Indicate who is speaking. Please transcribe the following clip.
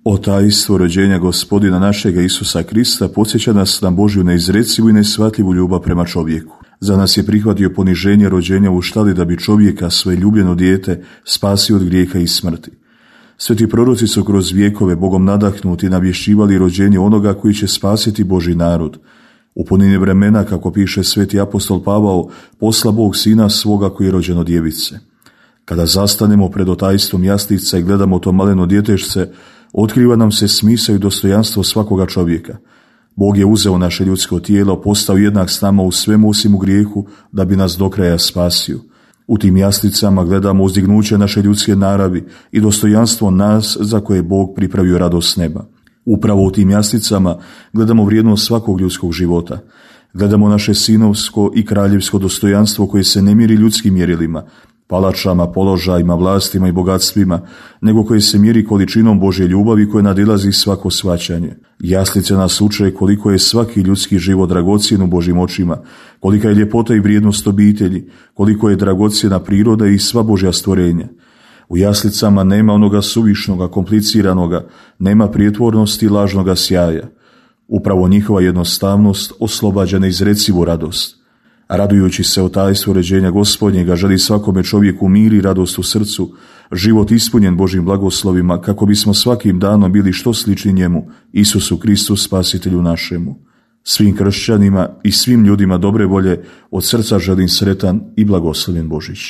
Speaker 1: O tajstvo rođenja Gospodina našega Isusa Krista podsjeća nas na Božju neizrecivu i neshvatljivu ljubav prema čovjeku. Za nas je prihvatio poniženje rođenja u štali da bi čovjeka, svoje ljubljeno dijete, spasio od grijeha i smrti. Sveti proroci su kroz vjekove Bogom nadahnuti navješćivali rođenje onoga koji će spasiti Božji narod. U punini vremena, kako piše sveti apostol Pavao, posla Bog sina svoga koji je rođen od djevice. Kada zastanemo pred otajstvom jaslica i gledamo to maleno djetešce, otkriva nam se smisao i dostojanstvo svakoga čovjeka. Bog je uzeo naše ljudsko tijelo, postao jednak s nama u svemu osim u grijehu, da bi nas do kraja spasio. U tim jaslicama gledamo uzdignuće naše ljudske naravi i dostojanstvo nas za koje je Bog pripravio radost neba. Upravo u tim jaslicama gledamo vrijednost svakog ljudskog života. Gledamo naše sinovsko i kraljevsko dostojanstvo koje se ne mjeri ljudskim mjerilima, palačama, položajima, vlastima i bogatstvima, nego koje se mjeri količinom Božje ljubavi koja nadilazi svako shvaćanje. Jaslice nas uče koliko je svaki ljudski život dragocjen u Božjim očima, kolika je ljepota i vrijednost obitelji, koliko je dragocjena priroda i sva Božja stvorenja. U jaslicama nema onoga suvišnoga, kompliciranoga, nema prijetvornosti i lažnoga sjaja. Upravo njihova jednostavnost oslobađa neizrecivu radost. A radujući se o tajstvu rođenja Gospodnjega, želi svakome čovjeku mir i radost u srcu, život ispunjen Božjim blagoslovima, kako bismo svakim danom bili što slični njemu, Isusu Kristu, spasitelju našemu. Svim kršćanima i svim ljudima dobre volje od srca želim sretan i blagoslovljen Božić.